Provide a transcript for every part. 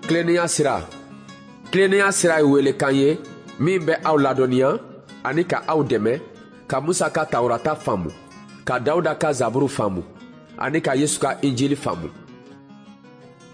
Tilennenya sira. Tilennenya sira ye welekan ye min bɛ aw ladɔnniya ani ka aw dɛmɛ ka Musa ka Tawurata faamu, ka Dawuda ka Zaburu faamu ani ka Yesu ka Injili faamu.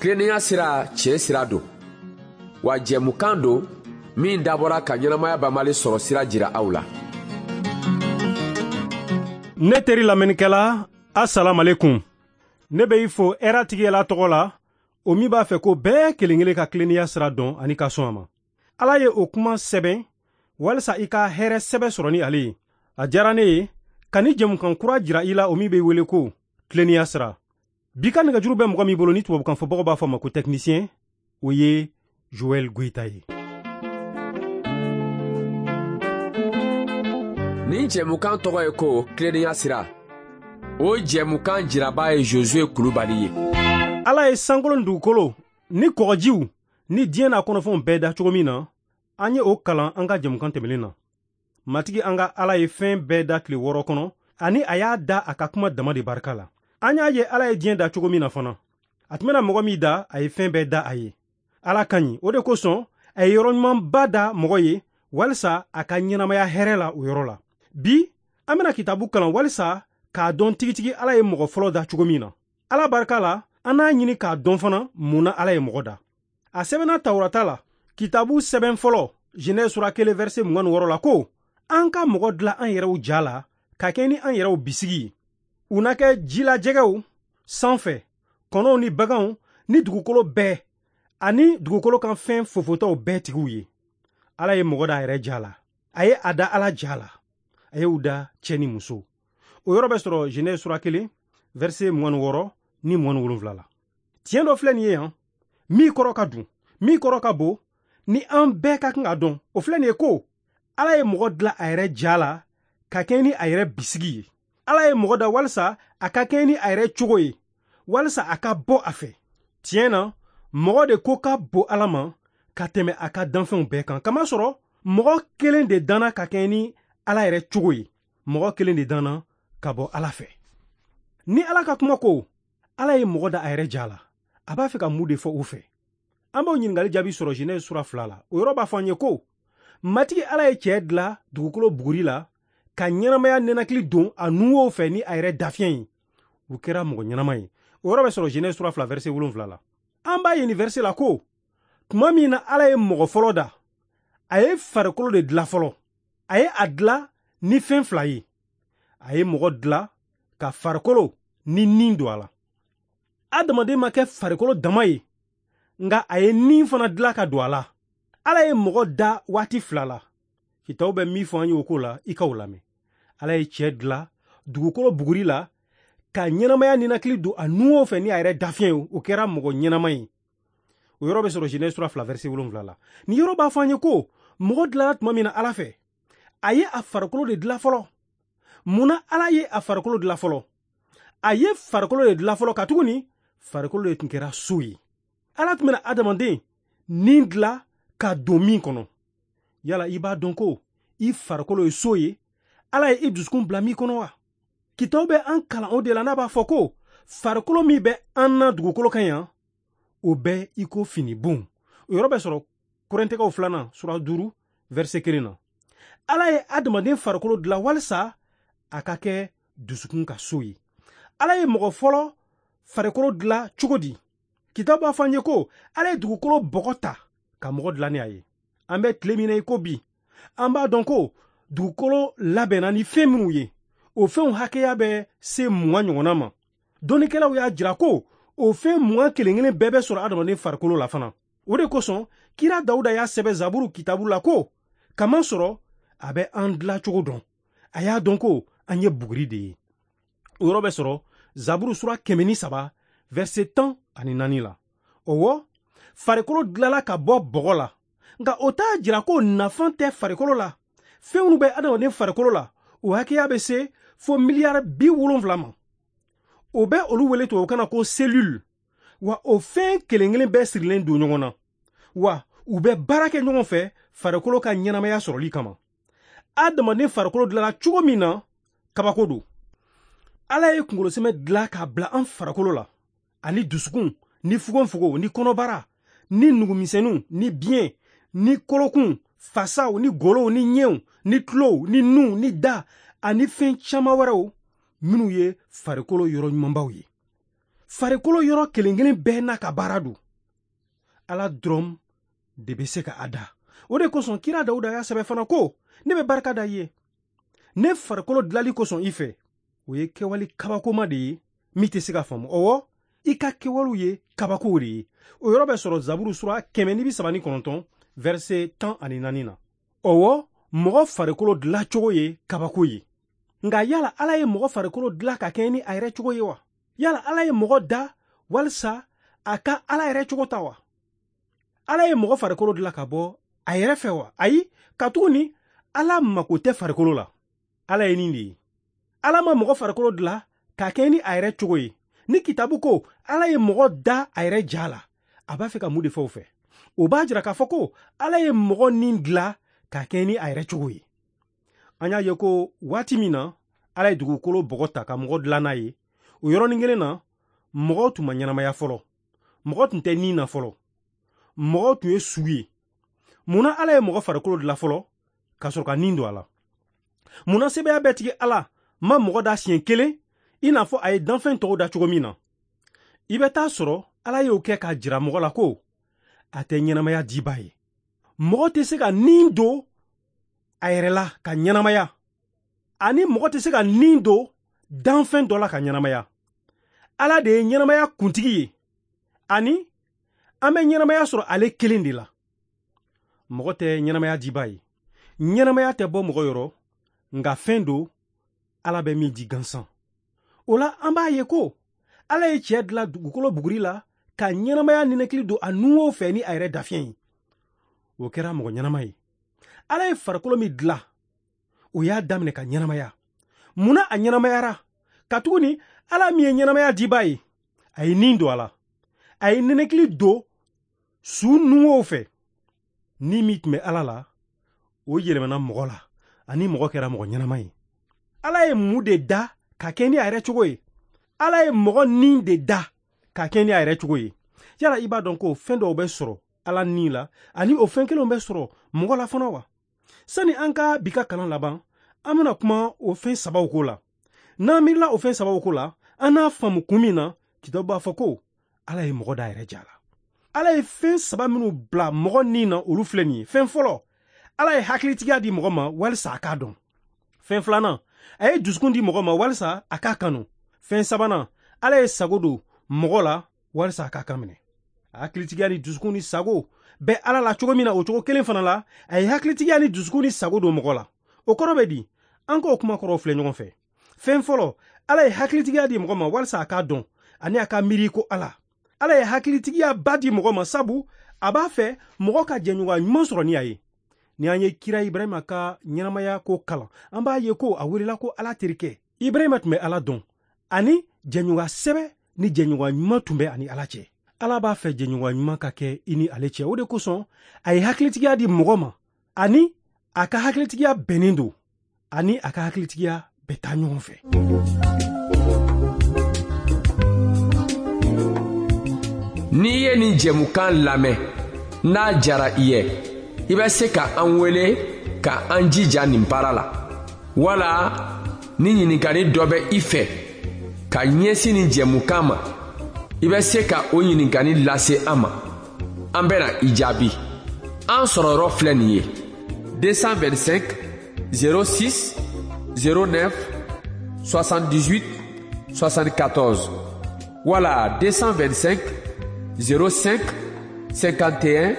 Tilennenya sira tiɲɛ sira don, wa jɛmukan don min dabɔra ka ɲɛnamaya banbali sɔrɔ sira jira aw la. Ne teri lamɛnnikɛla, asalamalekum. Ne bɛ i fo hɛrɛ tigi Ala tɔgɔ la, o min b'a fɛ ko bɛɛ kelen kelen ka tilennenya sira dɔn ani ka sɔn a ma. Ala ye o kuma sɛbɛn walisa i ka hɛrɛ sɛbɛ sɔrɔ ni ale ye. A diyara ne ye ka ni jɛmukan kura jira i la, o min bɛ wele ko tilennenya sira. Bi ka nɛgɛjuru bɛ mɔgɔ min bolo ni tubabukan fɔbagaw b'a fɔ a ma ko technicien, o ye Joël Goïta ye. Nin jɛmukan tɔgɔ ye ko tilennenya sira. O jɛmukan jiraba ye Josué Kulubali ye. Ala ye sankolo ni dugukolo ni kɔgɔjiw ni diɲɛ n'a kɔnɔfɛnw bɛɛ da cogo min na, an ye o kalan an ka jɛmukan tɛmɛnen na. Matigi an ka Ala ye fɛn bɛɛ da tile 6 kɔnɔ, ani a y'a da a ka kuma dama de barika la. An y'a ye Ala ye diɲɛ da cogo min na fana. A tun bɛna mɔgɔ min da, a ye fɛn bɛɛ da a ye. Ala ka ɲi, o de kosɔn a ye yɔrɔ ɲumanba da mɔgɔ ye walisa a ka ɲɛnamaya hɛrɛ la o yɔrɔ la. Bi, an bɛna kitabu kalan walisa k'a dɔn tigitigi Ala ye mɔgɔ fɔlɔ da cogo min na. Ala barika la, an n'a ɲini k'a dɔn fana mun na Ala ye mɔgɔ da. A sɛbɛnna Tawurata la, kitabu sɛbɛn fɔlɔ, Genèse sura 1 verset 26 la ko, an ka mɔgɔ dilan an yɛrɛw ja la, ka kɛ ni an yɛrɛw bisigi ye. U na kɛ jilajɛgɛw sanfɛ, kɔnɔw ni baganw ni dugukolo bɛɛ, ani dugukolo kan fɛn fofotaw bɛɛ tigiw ye. Ala ye mɔgɔ da a yɛrɛ ja la. A ye a da Ala ja la. A y'u da cɛ ni muso. O yɔrɔ bɛ sɔrɔ Genèse sura 1 verset 26 ni 27 la. Tiɲɛ dɔ filɛ nin ye yan, min kɔrɔ ka dun, min kɔrɔ ka bon, ni an bɛɛ ka kan ka dɔn. O filɛ nin ye ko, Ala ye mɔgɔ dilan a yɛrɛ ja la ka kɛɲɛ ni a yɛrɛ bisigi ye. Ala ye mɔgɔ da walisa a ka kɛɲɛ ni a yɛrɛ cogo ye, walisa a ka bɔ a fɛ. Tiɲɛ na, mɔgɔ de ko ka bon Ala ma ka tɛmɛ a ka danfɛnw bɛɛ kan. Kamasɔrɔ, mɔgɔ kelen de danna ka kɛɲɛ ni Ala yɛrɛ cogo ye. Mɔgɔ kelen de danna ka bɔ Ala fɛ. Ni Ala ka kuma ko, Ala ye mɔgɔ da a yɛrɛ ja la, a b'a fɛ ka mun de fɔ o fɛ? An b'o ɲininkali jaabi sɔrɔ Genèse sura 2 la. O yɔrɔ b'a fɔ an ye ko, Matigi Ala ye cɛ dilan dugukolo buguri la ka ɲɛnamaya nɛnakili don a nuwo fɛ ni a yɛrɛ dafiɲɛ ye. O kɛra mɔgɔ ɲɛnama ye. O yɔrɔ bɛ sɔrɔ Genèse sura 2 verset 7 la. An b'a ye nin verset la ko, tuma min na Ala ye mɔgɔ fɔlɔ da, a ye farikolo de dilan fɔlɔ. A ye a dilan ni fɛn fila ye. A ye mɔgɔ dilan ka farikolo ni nin don a la. Adamaden ma kɛ farikolo dama ye, nka a ye nin fana dilan ka don a la. Ala ye mɔgɔ da waati fila la. Kitabu bɛ min fɔ an ye o ko la, i k'o lamɛn. Ala ye cɛ dilan dugukolo buguri la ka ɲɛnamaya ninakili don a nuwo fɛ ni a yɛrɛ dafiɲɛ ye, o kɛra mɔgɔ ɲɛnama ye. O yɔrɔ bɛ sɔrɔ Genèse sura 2 verset 7 la. Nin yɔrɔ b'a fɔ an ye ko mɔgɔ dilanna tuma min na Ala fɛ, a ye a farikolo de dilan fɔlɔ. Mun na Ala ye a farikolo dilan fɔlɔ? A ye farikolo de dilan fɔlɔ katuguni farikolo de tun kɛra so ye. Ala tun bɛna adamaden nin dilan ka don min kɔnɔ. Yala i b'a dɔn ko i farikolo ye so ye, Ala ye i dusukun bila min kɔnɔ wa? Kitabu bɛ an kalan o de la n'a b'a fɔ ko farikolo min bɛ an na dugukolo kan yan, o bɛ i ko finibon. O yɔrɔ bɛ sɔrɔ Korintɛkaw 2 sura 5 verset 1 na. Ala ye adamaden farikolo dilan walisa a ka kɛ dusukun ka so ye. Ala ye mɔgɔ fɔlɔ farikolo dilan cogo di? Kitabu b'a fɔ an ye ko Ala ye dugukolo bɔgɔ ta ka mɔgɔ dilan ni a ye. An bɛ tile min na i ko bi, an b'a dɔn ko dugukolo labɛnna ni fɛn minnu ye, o fɛnw hakɛya bɛ se 20 ɲɔgɔnna ma. Dɔnnikɛlaw y'a jira ko o fɛn 20 kelen kelen bɛɛ bɛ sɔrɔ adamaden farikolo la fana. O de kosɔn kira Dawuda y'a sɛbɛn Zaburu kitabu la ko, kamasɔrɔ a bɛ an dilan cogo dɔn. A y'a dɔn ko an ye buguri de ye. O yɔrɔ bɛ sɔrɔ Zaburu sura 103 verset 14 la. Ɔwɔ, farikolo dilanla ka bɔ bɔgɔ la, nka o t'a jira ko nafa tɛ farikolo la. Fɛn minnu bɛ adamaden farikolo la, o hakɛya bɛ se fo miliyari 70 ma. O bɛ olu wele tubabukan na ko cellule. Wa o fɛn kelen kelen bɛɛ sirilen don ɲɔgɔn na. Wa u bɛ baara kɛ ɲɔgɔn fɛ farikolo ka ɲɛnamaya sɔrɔli kama. Adamaden farikolo dilanna cogo min na, kabako don. Ala ye kunkolosɛmɛ dilan k'a bila an farikolo la, ani dusukun, ni fogonfogon, ni kɔnɔbara, ni nugumisɛnninw ni biɲɛ ni kolokun, fasaw ni golow ni ɲɛw ni tulow ni nunw ni da ani fɛn caman wɛrɛw minnu ye farikolo yɔrɔ ɲumanbaw ye. Farikolo yɔrɔ kelen kelen bɛɛ n'a ka baara don. Ala dɔrɔn de bɛ se ka a da. O de kosɔn kira Dawuda y'a sɛbɛn fana ko, ne bɛ barika da i ye ne farikolo dilali kosɔn i fɛ. O ye kɛwale kabakoma de ye min tɛ se ka faamu. Ɔwɔ, i ka kɛwalew ye kabakow de ye. O yɔrɔ bɛ sɔrɔ Zaburu sura 139 verset 14 na. Ɔwɔ, mɔgɔ farikolo dilancogo ye kabako ye. Nka yala Ala ye mɔgɔ farikolo dilan ka kɛɲɛ ni a yɛrɛ cogo ye wa? Yala Ala ye mɔgɔ da walisa a ka Ala yɛrɛ cogo ta wa? Ala ye mɔgɔ farikolo dilan ka bɔ a yɛrɛ fɛ wa? Ayi, katuguni Ala mako tɛ farikolo la. Ala ye nin de ye. Ala ma mɔgɔ farikolo dilan ka kɛɲɛ ni a yɛrɛ cogo ye. Ni kitabu ko Ala ye mɔgɔ da a yɛrɛ ja la, a b'a fɛ ka mun de fɔ o fɛ? O b'a jira k'a fɔ ko Ala ye mɔgɔ nin dilan ka kɛɲɛ ni a yɛrɛ cogo ye. An y'a ye ko waati min na Ala ye dugukolo bɔgɔ ta ka mɔgɔ dilan n'a ye, o yɔrɔnin kelen na mɔgɔw tun ma ɲɛnamaya fɔlɔ, mɔgɔ tun tɛ nin na fɔlɔ, mɔgɔw tun ye su ye. Munna Ala ye mɔgɔ farikolo dilan fɔlɔ ka sɔrɔ ka nin don a la? Munna sebaaya bɛɛ tigi Ala ma mɔgɔ da siɲɛ kelen i n'a fɔ a ye danfɛn tɔw da cogo min na? I bɛ taa sɔrɔ Ala y'o kɛ k'a jira mɔgɔ la ko a tɛ ɲɛnamaya diba ye. Mɔgɔ tɛ se ka nin don a yɛrɛ la ka ɲɛnamaya, ani mɔgɔ tɛ se ka nin don danfɛn dɔ la ka ɲɛnamaya. Ala de ye ɲɛnamaya kuntigi ye, ani an bɛ ɲɛnamaya sɔrɔ ale kelen de la. Mɔgɔ tɛ ɲɛnamaya diba ye. Ɲɛnamaya tɛ bɔ mɔgɔ yɔrɔ, nka fɛn don Ala bɛ min di gansan. O la an b'a ye ko Ala ye cɛ dilan dugukolo buguri la ka ɲɛnamaya ninakili don a nuwo fɛ ni a yɛrɛ dafiɲɛ ye. O kɛra mɔgɔ ɲɛnama ye. Ala ye farikolo min dilan, o y'a daminɛ ka ɲɛnamaya. Munna a ɲɛnamayara? Katuguni Ala min ye ɲɛnamaya diba ye, a ye nin don a la. A ye ninakili don su nuwow fɛ. Ni min tun bɛ Ala la, o yɛlɛmana mɔgɔ la, ani mɔgɔ kɛra mɔgɔ ɲɛnama ye. Ala ye mun de da ka kɛ ni a yɛrɛ cogo ye? Ala ye mɔgɔ nin de da ka kɛ ni a yɛrɛ cogo ye. Yala i b'a dɔn ko fɛn dɔw bɛ sɔrɔ Ala nin la, ani o fɛn kelenw bɛ sɔrɔ mɔgɔ la fana wa? Sani an ka bi ka kalan laban, an bɛna kuma o fɛn sabaw ko la. N'an miirila o fɛn sabaw ko la, an n'a faamu kun min na, kitabu b'a fɔ ko Ala ye mɔgɔ da a yɛrɛ ja la. Ala ye fɛn saba minnu bila mɔgɔ nin na, olu filɛ nin ye. Fɛn fɔlɔ, Ala ye hakilitigiya di mɔgɔ ma walisa a k'a dɔn. Fɛn filanan, a ye dusukun di mɔgɔ ma walisa a k'a kanu. Fɛn sabanan, Ala ye sago don mɔgɔ la walisa a k'a kan minɛ. Hakilitigiya ni dusukun ni sago bɛ Ala la cogo min na, o cogo kelen fana la, a ye hakilitigiya ni dusukun ni sago don mɔgɔ la. O kɔrɔ bɛ di? An k'o kuma kɔrɔw filɛ ɲɔgɔn fɛ. Fɛn fɔlɔ, Ala ye hakilitigiya di mɔgɔ ma walisa a k'a dɔn ani a ka miiri ko Ala. Ala ye hakilitigiya ba di mɔgɔ ma sabu a b'a fɛ mɔgɔ ka jɛɲɔgɔnya ɲuman sɔrɔ ni a ye. Ni an ye kira Ibrahima ka ɲɛnamaya ko kalan, an b'a ye ko a welela ko Ala terikɛ. Ibrahima tun bɛ Ala dɔn, ani jɛɲɔgɔnya sɛbɛ ni jɛɲɔgɔnya ɲuman tun bɛ ani Ala cɛ. Ala b'a fɛ jɛɲɔgɔnya ɲuman ka kɛ i ni ale cɛ. O de kosɔn a ye hakilitigiya di mɔgɔ ma, ani a ka hakilitigiya bɛnnen don, ani a ka hakilitigiya bɛ taa ɲɔgɔn fɛ. N'i ye nin jɛmukan lamɛn, n'a diyara i ye, i bɛ se ka an wele ka an jija nin baara la. Wala ni ɲininkali dɔ bɛ i fɛ ka ɲɛsin nin jɛmukan ma, i bɛ se ka o ɲininkali lase an ma. An bɛna i jaabi. An sɔrɔyɔrɔ filɛ nin ye: 225 06 09 78 74 wala 225 05 51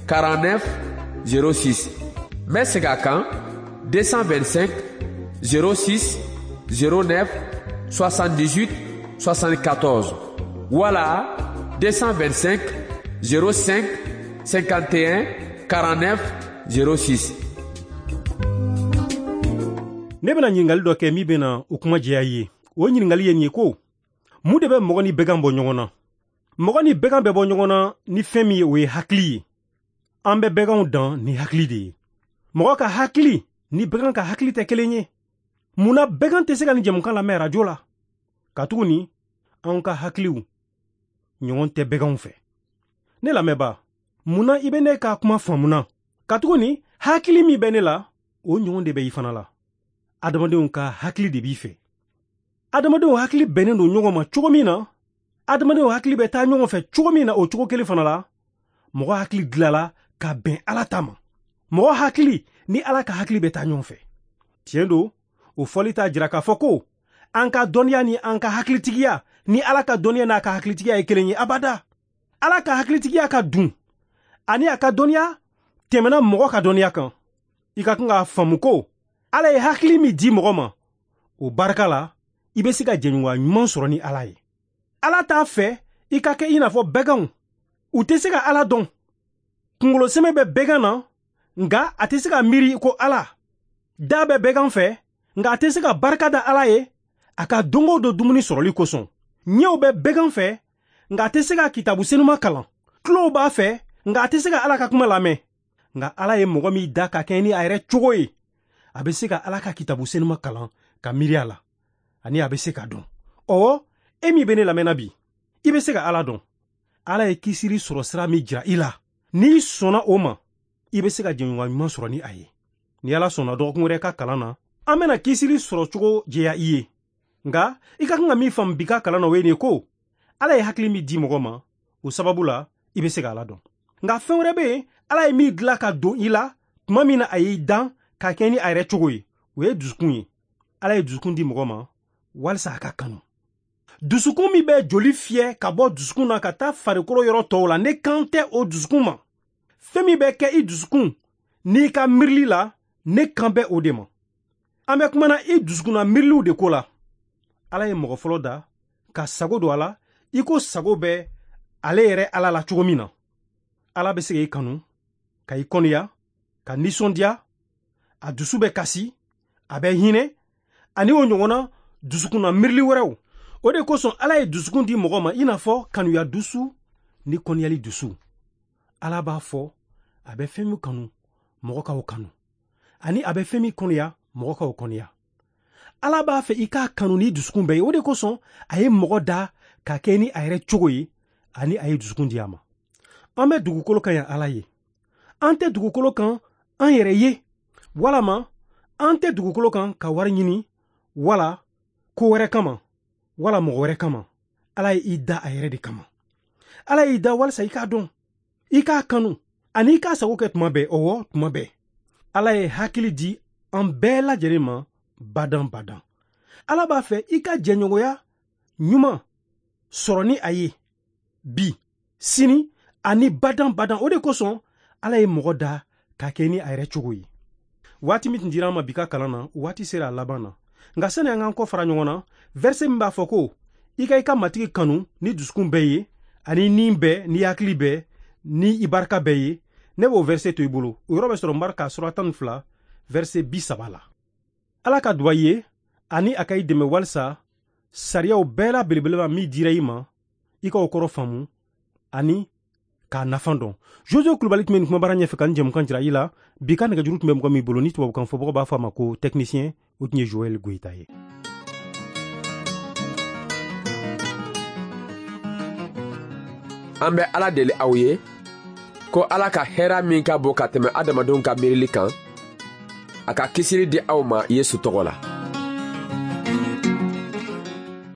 49 06. N bɛ segin a kan: 225 06 09 78 74 wala 225 05 51 49 06. Ne bɛna ɲininkali dɔ kɛ min bɛna o kuma jɛya i ye. O ɲininkali ye nin ye ko, mun de bɛ mɔgɔ ni bɛgan bɔ ɲɔgɔn na? Mɔgɔ ni bɛgan bɛ bɔ ɲɔgɔn na ni fɛn min ye, o ye hakili ye. An bɛ bɛganw dan ni hakili de ye. Mɔgɔ ka hakili ni bɛgan ka hakili tɛ kelen ye. Munna bɛgan tɛ se ka nin jɛmukan lamɛn arajo la? Katuguni anw ka hakiliw ɲɔgɔn tɛ bɛganw fɛ. Ne lamɛnba, Mun na i bɛ ne ka kuma faamuna? Katuguni hakili min bɛ ne la, o ɲɔgɔn de bɛ i fana la. Adamadenw ka hakili de b'i fɛ. Adamadenw hakili bɛnnen don ɲɔgɔn ma cogo min na, adamadenw hakili bɛ taa ɲɔgɔn fɛ cogo min na, o cogo kelen fana la, mɔgɔ hakili dilala ka bɛn Ala ta ma. Mɔgɔ hakili ni Ala ka hakili bɛ taa ɲɔgɔn fɛ. Tiɲɛ don, o fɔli t'a jira k'a fɔ ko an ka dɔnniya ni an ka hakilitigiya ni Ala ka dɔnniya n'a ka hakilitigiya ye kelen ye abada. Ala ka hakilitigiya ka dun ani a ka dɔnniya tɛmɛna mɔgɔ ka dɔnniya kan. I ka kan k'a faamu ko Ala ye hakili min di mɔgɔ ma, o barika la i bɛ se ka jɛɲɔgɔnya ɲuman sɔrɔ ni Ala ye. Ala t'a fɛ i ka kɛ i n'a fɔ bɛganw. U tɛ se ka Ala dɔn. Kungolo sɛmɛ bɛ bɛgan na, nka a tɛ se ka miiri ko Ala. Da bɛ bɛgan fɛ, nka a tɛ se ka barika da Ala ye a ka don o don dumuni sɔrɔli kosɔn. Ɲɛw bɛ bɛgan fɛ, nka a tɛ se ka kitabu senuma kalan. Tulow b'a fɛ, nka a tɛ se ka Ala ka kuma lamɛn. Nka Ala ye mɔgɔ min da ka kɛɲɛ ni a yɛrɛ cogo ye, a bɛ se ka Ala ka kitabu senuma kalan ka miiri a la, ani a bɛ se ka dɔn. Ɔwɔ, e min bɛ ne lamɛnna bi, i bɛ se ka Ala dɔn. Ala ye kisili sɔrɔ sira min jira i la, n'i sɔnna o ma, i bɛ se ka jɛɲɔgɔnya ɲuman sɔrɔ ni a ye. Ni Ala sɔnna dɔgɔkun wɛrɛ ka kalan na, an bɛna kisili sɔrɔ cogo jɛya i ye. Nka i ka kan ka min faamu bi ka kalan na, o ye nin ye ko Ala ye hakili min di mɔgɔ ma, o sababu la i bɛ se ka Ala dɔn. Nka fɛn wɛrɛ bɛ yen, Ala ye min dilan ka don i la tuma min na a y'i dan ka kɛ ni a yɛrɛ cogo ye, o ye dusukun ye. Ala ye dusukun di mɔgɔ ma walisa a ka kanu. Dusukun min bɛ joli fiyɛ ka bɔ dusukun na ka taa farikolo yɔrɔ tɔw la, ne kan tɛ o dusukun ma. Fɛn min bɛ kɛ i dusukun n'i ka miirili la, ne kan bɛ o de ma. An bɛ kumana i dusukunna miiriliw de ko la. Ala ye mɔgɔ fɔlɔ da ka sago don a la i ko sago bɛ ale yɛrɛ Ala la cogo min na. Ala bɛ se k'i kanu, ka i kɔniya, ka nisɔndiya, a dusu bɛ kasi, a bɛ hinɛ, ani o ɲɔgɔnna dusukunna miirili wɛrɛw. O de kosɔn Ala ye dusukun di mɔgɔ ma i n'a fɔ kanuya dusu ni kɔniyali dusu. Ala b'a fɔ a bɛ fɛn min kanu, mɔgɔ k'o kanu, ani a bɛ fɛn min kɔniya, mɔgɔ k'o kɔniya. Ala b'a fɛ i k'a kanu ni dusukun bɛɛ ye. O de kosɔn a ye mɔgɔ da ka kɛ ni a yɛrɛ cogo ye, ani a ye dusukun di a ma. An bɛ dugukolo kan yan Ala ye. An tɛ dugukolo kan an yɛrɛ ye, walama an tɛ dugukolo kan ka wari ɲini, wala ko wɛrɛ kama, wala mɔgɔ wɛrɛ kama. Ala ye i da a yɛrɛ de kama. Ala y'i da walisa i k'a dɔn, i k'a kanu, ani i k'a sago kɛ tuma bɛɛ. Ɔwɔ, tuma bɛɛ. Ala ye hakili di an bɛɛ lajɛlen ma badan badan. Ala b'a fɛ i ka jɛɲɔgɔnya ɲuman sɔrɔ ni a ye bi, sini ani badan badan. O de kosɔn Ala ye mɔgɔ da ka kɛ ni a yɛrɛ cogo ye. Waati min tun dira an ma bi ka kalan na, waati sera a laban na. Nka sani an k'an kɔ fara ɲɔgɔn na, verset min b'a fɔ ko i ka i ka Matigi kanu ni dusukun bɛɛ ye, ani ni bɛɛ, ni hakili bɛɛ, ni i barika bɛɛ ye, ne b'o verset to i bolo. O yɔrɔ bɛ sɔrɔ Marka sura 12 verset 30 la. Ala ka duba i ye ani a ka i dɛmɛ walisa sariyaw bɛɛ la belebeleba min dira i ma, i ka o kɔrɔ faamu ani k'a nafa dɔn. Jojo Kulubali tun bɛ nin kumabara ɲɛfɛ ka nin jɛmukan jira i la. Bi ka nɛgɛjuru tun bɛ mɔgɔ min bolo ni tubabukan fɔbagaw b'a fɔ a ma ko technicien, o tun ye Joël Goyita ye. An bɛ Ala deli aw ye ko Ala ka hɛrɛ min ka bon ka tɛmɛ adamadenw ka miirili kan, a ka kisili di aw ma Yesu tɔgɔ la.